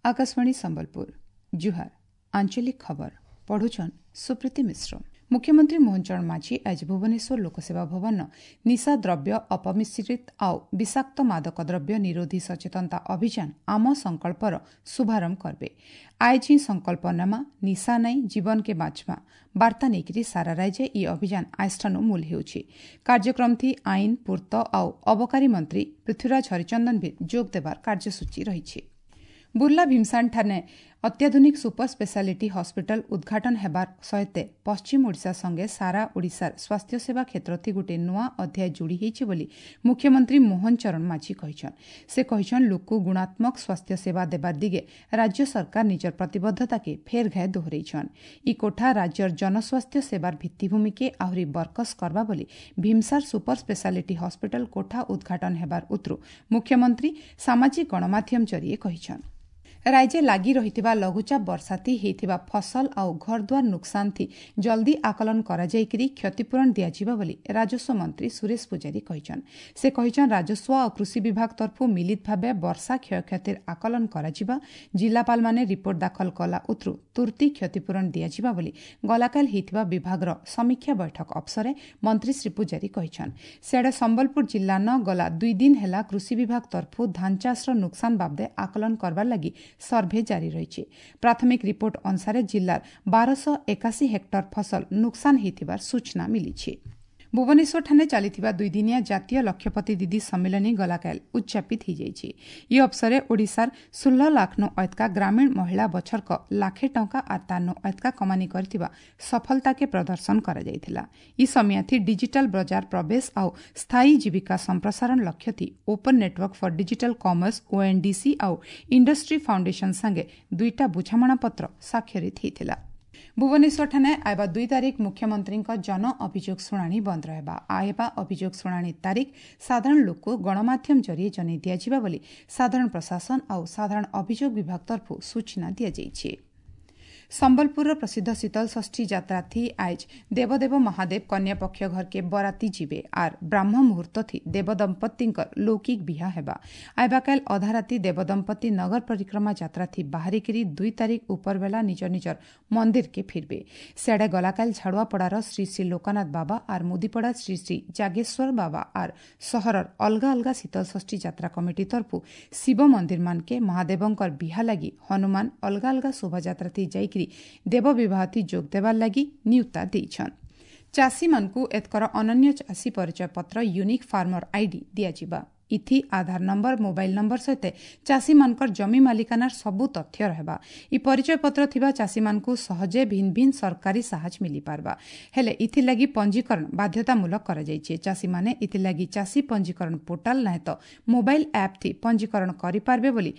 ଆକାଶବାଣୀ ସମ୍ବଲପୁର, ଜୁହାର। ଆଞ୍ଚଳିକ ଖବର ପଢୁଛନ୍ ସୁପ୍ରୀତି ମିଶ୍ର। ମୁଖ୍ୟମନ୍ତ୍ରୀ ମୋହନ ଚରଣ ମାଝୀ ଆଜି ଭୁବନେଶ୍ୱର ଲୋକସେବା ଭବନ ନିଶା ଦ୍ରବ୍ୟ, ଅପମିଶ୍ରିତ ଆଉ ବିଷାକ୍ତ ମାଦକ ଦ୍ରବ୍ୟ ନିରୋଧୀ ସଚେତନତା ଅଭିଯାନ ଆମ ସଂକଳ୍ପର ଶୁଭାରମ୍ଭ କରିବେ। ଆଏଜ ହିଁ ସଂକଳ୍ପ ନେମା, ନିଶା ନାଇଁ ଜୀବନକେ ବାଞ୍ଚମା ବାର୍ତ୍ତା ନେଇକରି ସାରା ରାଜ୍ୟ ଇ ଅଭିଯାନ ଆଏଜଠାନୁ ମୂଲ ହେଉଛି। କାର୍ଯ୍ୟକ୍ରମଥି ଆଇନ, ପୂର୍ତ୍ତ ଆଉ ଅବକାରୀ ମନ୍ତ୍ରୀ ପୃଥ୍ୱୀରାଜ ହରିଚନ୍ଦନ ବି ଯୋଗ ଦେବାର କାର୍ଯ୍ୟସୂଚୀ ରହିଛି। ବୁର୍ଲା ଭୀମସାନଠାରେ ଅତ୍ୟାଧୁନିକ ସୁପର ସ୍ପେଶାଲିଟି ହସ୍ପିଟାଲ ଉଦ୍ଘାଟନ ହେବାର ସହିତ ପଶ୍ଚିମ ଓଡ଼ିଶା ସଙ୍ଗେ ସାରା ଓଡ଼ିଶାର ସ୍ୱାସ୍ଥ୍ୟସେବା କ୍ଷେତ୍ରଥି ଗୋଟିଏ ନୂଆ ଅଧ୍ୟାୟ ଯୋଡ଼ି ହୋଇଛି ବୋଲି ମୁଖ୍ୟମନ୍ତ୍ରୀ ମୋହନ ଚରଣ ମାଝୀ କହିଛନ୍। ସେ କହିଛନ୍, ଲୋକକୁ ଗୁଣାତ୍ମକ ସ୍ୱାସ୍ଥ୍ୟସେବା ଦେବାର ଦିଗେ ରାଜ୍ୟ ସରକାର ନିଜର ପ୍ରତିବଦ୍ଧତାକେ ଫେର୍ ଘାଏ ଦୋହରାଇଛନ୍। ଇ କୋଠା ରାଜ୍ୟର ଜନସ୍ୱାସ୍ଥ୍ୟ ସେବାର ଭିତ୍ତିଭୂମିକେ ଆହୁରି ବରକସ କରବା ବୋଲି ଭୀମସାର ସୁପର ସ୍ପେଶାଲିଟି ହସ୍ପିଟାଲ କୋଠା ଉଦ୍ଘାଟନ ହେବାର ଉତରୁ ମୁଖ୍ୟମନ୍ତ୍ରୀ ସାମାଜିକ ଗଣମାଧ୍ୟମ ଜରିଏ କହିଛନ୍। ରାଜ୍ୟ ଲାଗି ରହିଥିବା ଲଘୁଚାପ ବର୍ଷାଥି ହେଇଥିବା ଫସଲ ଆଉ ଘରଦ୍ୱାର ନୁକସାନଥି ଜଲ୍ଦି ଆକଳନ କରାଯାଇକରି କ୍ଷତିପୂରଣ ଦିଆଯିବ ବୋଲି ରାଜସ୍ୱ ମନ୍ତ୍ରୀ ସୁରେଶ ପୂଜାରୀ କହିଛନ୍। ସେ କହିଛନ୍, ରାଜସ୍ୱ ଆଉ କୃଷି ବିଭାଗ ତରଫରୁ ମିଳିତ ଭାବେ ବର୍ଷା କ୍ଷୟକ୍ଷତିର ଆକଳନ କରାଯିବା, ଜିଲ୍ଲାପାଳମାନେ ରିପୋର୍ଟ ଦାଖଲ କଲା ଉତରୁ ତୁର୍ତ୍ତି କ୍ଷତିପୂରଣ ଦିଆଯିବା ବୋଲି ଗଲାକାଲ ହେଇଥିବା ବିଭାଗର ସମୀକ୍ଷା ବୈଠକ ଅବସରେ ମନ୍ତ୍ରୀ ଶ୍ରୀ ପୂଜାରୀ କହିଛନ୍। ସିଆଡ଼େ ସମ୍ବଲପୁର ଜିଲ୍ଲାନ ଗଲା 2 ଦିନ ହେଲା କୃଷି ବିଭାଗ ତରଫରୁ ଧାନ ଚାଷର ନୁକସାନ ବାବଦେ ଆକଳନ କରବାର ଲାଗି ସର୍ଭେ ଜାରି ରହିଛି। ପ୍ରାଥମିକ ରିପୋର୍ଟ ଅନୁସାରେ ଜିଲ୍ଲାର 1281 ହେକ୍ଟର ଫସଲ ନୁକସାନ ହୋଇଥିବାର ସୂଚନା ମିଳିଛି। ଭୁବନେଶ୍ୱରଠାରେ ଚାଲିଥିବା ଦୁଇଦିନିଆ ଜାତୀୟ ଲକ୍ଷପତି ଦିଦି ସମ୍ମିଳନୀ ଗଲାକାଲ ଉଦ୍ଯାପିତ ହୋଇଯାଇଛି। ଇ ଅବସରେ ଓଡ଼ିଶାର 16 ଲାଖନୁ ଅଏତକା ଗ୍ରାମୀଣ ମହିଳା ବଛରକ ଲାଖେ ଟଙ୍କା ଆର୍ ତାରନୁ ଅଏତକା କମାନି କରିଥିବା ସଫଳତାକେ ପ୍ରଦର୍ଶନ କରାଯାଇଥିଲା। ଇ ସମିୟାଥି ଡିଜିଟାଲ ବଜାର ପ୍ରବେଶ ଆଉ ସ୍ଥାୟୀ ଜୀବିକା ସମ୍ପ୍ରସାରଣ ଲକ୍ଷ୍ୟଥି open network for digital commerce ONDC ଆଉ ଇଣ୍ଡଷ୍ଟ୍ରି ଫାଉଣ୍ଡେସନ ସାଙ୍ଗେ ଦୁଇଟା ବୁଝାମଣାପତ୍ର ସ୍ୱାକ୍ଷରିତ ହୋଇଥିଲା। ଭୁବନେଶ୍ୱରଠାରେ ଆଇବା 2 ତାରିଖ ମୁଖ୍ୟମନ୍ତ୍ରୀଙ୍କ ଜନ ଅଭିଯୋଗ ଶୁଣାଣି ବନ୍ଦ ରହିବା। ଆଇବା ଅଭିଯୋଗ ଶୁଣାଣି ତାରିଖ ସାଧାରଣ ଲୋକକୁ ଗଣମାଧ୍ୟମ ଜରିଏ ଜଣାଇ ଦିଆଯିବ ବୋଲି ସାଧାରଣ ପ୍ରଶାସନ ଆଉ ସାଧାରଣ ଅଭିଯୋଗ ବିଭାଗ ତରଫରୁ ସୂଚନା ଦିଆଯାଇଛି। ସମ୍ବଲପୁରର ପ୍ରସିଦ୍ଧ ଶୀତଳଷଷ୍ଠୀ ଯାତ୍ରାଥି ଆଏଜ ଦେବଦେବ ମହାଦେବ କନ୍ୟାପକ୍ଷ ଘରକେ ବରାତି ଯିବେ ଆର୍ ବ୍ରାହ୍ମ ମୁହୂର୍ତ୍ତଥି ଦେବଦମ୍ପତିଙ୍କର ଲୌକିକ ବିହା ହେବା। ଆଇବାକାଲ ଅଧାରାତି ଦେବଦମ୍ପତି ନଗର ପରିକ୍ରମା ଯାତ୍ରାଥି ବାହାରିକିରି 2 ତାରିଖ ଉପରବେଲା ନିଜ ନିଜର ମନ୍ଦିରକେ ଫିରବେ। ସିଆଡ଼େ ଗଲାକାଲ ଝାଡ଼ୁଆପଡ଼ାର ଶ୍ରୀ ଶ୍ରୀ ଲୋକନାଥ ବାବା ଆର୍ ମୁଦିପଡ଼ା ଶ୍ରୀ ଶ୍ରୀ ଜାଗେଶ୍ୱର ବାବା ଆର୍ ସହରର ଅଲଗା ଅଲଗା ଶୀତଳଷଷ୍ଠୀ ଯାତ୍ରା କମିଟି ତରଫୁ ଶିବ ମନ୍ଦିରମାନକେ ମହାଦେବଙ୍କର ବିହା ଲାଗି ହନୁମାନ ଅଲଗା ଅଲଗା ଶୋଭାଯାତ୍ରାଥି ଯାଇକି ଦେବ ବିବାହଥି ଯୋଗ ଦେବାର ଲାଗି ନିୟୁତା ଦେଇଛନ୍। ଚାଷୀମାନଙ୍କୁ ଏତକର ଅନନ୍ୟ ଚାଷୀ ପରିଚୟ ପତ୍ର ୟୁନିକ୍ ଫାର୍ମର ଆଇଡି ଦିଆଯିବା। ଇଥି ଆଧାର ନମ୍ବର, ମୋବାଇଲ ନମ୍ବର ସହିତ ଚାଷୀମାନଙ୍କର ଜମି ମାଲିକାନାର ସବୁ ତଥ୍ୟ ରହିବା। ଇ ପରିଚୟ ପତ୍ର ଥିବା ଚାଷୀମାନଙ୍କୁ ସହଜେ ଭିନ୍ନ ଭିନ୍ନ ସରକାରୀ ସାହାଯ୍ୟ ମିଳିପାରବା। ହେଲେ ଇଥିଲାଗି ପଞ୍ଜୀକରଣ ବାଧ୍ୟତାମୂଳକ କରାଯାଇଛି। ଚାଷୀମାନେ ଇଥିଲାଗି ଚାଷୀ ପଞ୍ଜୀକରଣ ପୋର୍ଟାଲ ନାହେଁ ତ ମୋବାଇଲ ଆପ୍ ଥି ପଞ୍ଜୀକରଣ କରିପାରିବେ ବୋଲି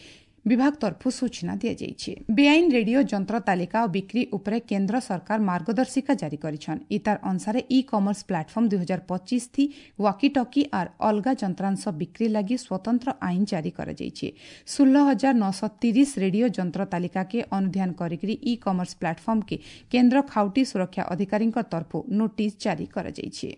ବିଭାଗ ତରଫରୁ ସୂଚନା ଦିଆଯାଇଛି। ବେଆଇନ ରେଡିଓ ଯନ୍ତ୍ର ତାଲିକା ଓ ବିକ୍ରି ଉପରେ କେନ୍ଦ୍ର ସରକାର ମାର୍ଗଦର୍ଶିକା ଜାରି କରିଛନ୍। ଇତାର ଅନୁସାରେ ଇ କମର୍ସ ପ୍ଲାଟଫର୍ମ 2025 ଥି ୱାକିଟକି ଆର୍ ଅଲଗା ଯନ୍ତ୍ରାଂଶ ବିକ୍ରି ଲାଗି ସ୍ୱତନ୍ତ୍ର ଆଇନ ଜାରି କରାଯାଇଛି। 16,930 ରେଡିଓ ଯନ୍ତ୍ର ତାଲିକାକେ ଅନୁଧ୍ୟାନ କରିକି ଇ କମର୍ସ ପ୍ଲାଟଫର୍ମକେ କେନ୍ଦ୍ର ଖାଉଟି ସୁରକ୍ଷା ଅଧିକାରୀଙ୍କ ତରଫରୁ ନୋଟିସ୍ ଜାରି କରାଯାଇଛି।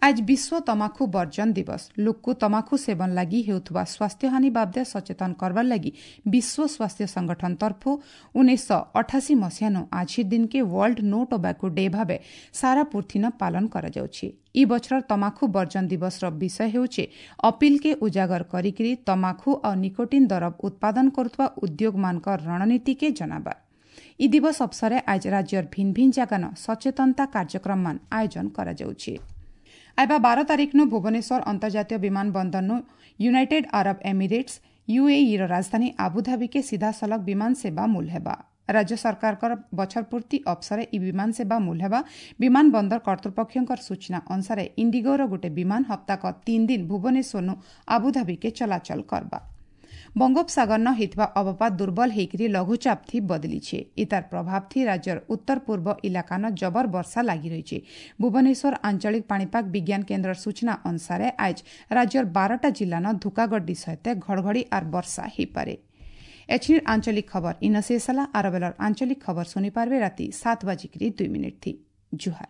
ଆଜ ବିଶ୍ୱ ତମାଖୁ ବର୍ଜନ ଦିବସ। ଲୋକକୁ ତମାଖୁ ସେବନ ଲାଗି ହେଉଥିବା ସ୍ୱାସ୍ଥ୍ୟହାନି ବାବଦେ ସଚେତନ କରବାର ଲାଗି ବିଶ୍ୱ ସ୍ୱାସ୍ଥ୍ୟ ସଂଗଠନ ତରଫରୁ 1988 ମସିହାନୁ ଆଜିର ଦିନକେ ୱାର୍ଲଡ ନୋ ଟୋବାକୋ ଡେ ଭାବେ ସାରା ପୃଥିନ ପାଳନ କରାଯାଉଛି। ଇ ବଛରର ତମାଖୁ ବର୍ଜନ ଦିବସର ବିଷୟ ହେଉଛି ଅପିଲକେ ଉଜାଗର କରିକିରି ତମାଖୁ ଆଉ ନିକୋଟିନ୍ ଦରବ ଉତ୍ପାଦନ କରୁଥିବା ଉଦ୍ୟୋଗମାନଙ୍କ ରଣନୀତିକେ ଜଣାବା। ଇ ଦିବସ ଅବସରେ ଆଜ ରାଜ୍ୟର ଭିନ୍ନ ଭିନ୍ନ ଜାଗାନ ସଚେତନତା କାର୍ଯ୍ୟକ୍ରମମାନ ଆୟୋଜନ କରାଯାଉଛି। ଆଇବା 12 ତାରିଖନୁ ଭୁବନେଶ୍ୱର ଅନ୍ତର୍ଜାତୀୟ ବିମାନ ବନ୍ଦରନୁ ୟୁନାଇଟେଡ୍ ଆରବ ଏମିରେଟ୍ସ ୟୁଏଇର ରାଜଧାନୀ ଆବୁଧାବିକେ ସିଧାସଳଖ ବିମାନ ସେବା ମୂଲ ହେବା। ରାଜ୍ୟ ସରକାରଙ୍କର ବଛର ପୂର୍ତ୍ତି ଅବସରେ ଇ ବିମାନ ସେବା ମୂଲ ହେବା। ବିମାନ ବନ୍ଦର କର୍ତ୍ତୃପକ୍ଷଙ୍କର ସୂଚନା ଅନୁସାରେ ଇଣ୍ଡିଗୋର ଗୋଟେ ବିମାନ ହପ୍ତାକ 3 ଦିନ ଭୁବନେଶ୍ୱରନୁ ଆବୁଧାବିକେ ଚଳାଚଳ କରବା। ବଙ୍ଗୋପସାଗରନ ହେଇଥିବା ଅବପାତ ଦୁର୍ବଳ ହେଇକରି ଲଘୁଚାପ ଥି ବଦଲିଛେ। ଇତାର ପ୍ରଭାବ ଥି ରାଜ୍ୟର ଉତ୍ତର ପୂର୍ବ ଇଲାକାନ ଜବର ବର୍ଷା ଲାଗି ରହିଛି। ଭୁବନେଶ୍ୱର ଆଞ୍ଚଳିକ ପାଣିପାଗ ବିଜ୍ଞାନ କେନ୍ଦ୍ରର ସୂଚନା ଅନୁସାରେ ଆଜ ରାଜ୍ୟର 12ଟା ଜିଲ୍ଲାନ ଧୁକାଗଡ୍ଡି ସହିତ ଘଡ଼ଘଡ଼ି ଆର୍ ବର୍ଷା ହେଇପାରେ। ଏଛିନିର ଆଞ୍ଚଳିକ ଖବର ଇନ ଶେଷ ହେଲା। ଆର ବେଲର ଆଞ୍ଚଳିକ ଖବର ଶୁଣିପାରିବେ ରାତି 7:02 ଥି। ଜୁହାର।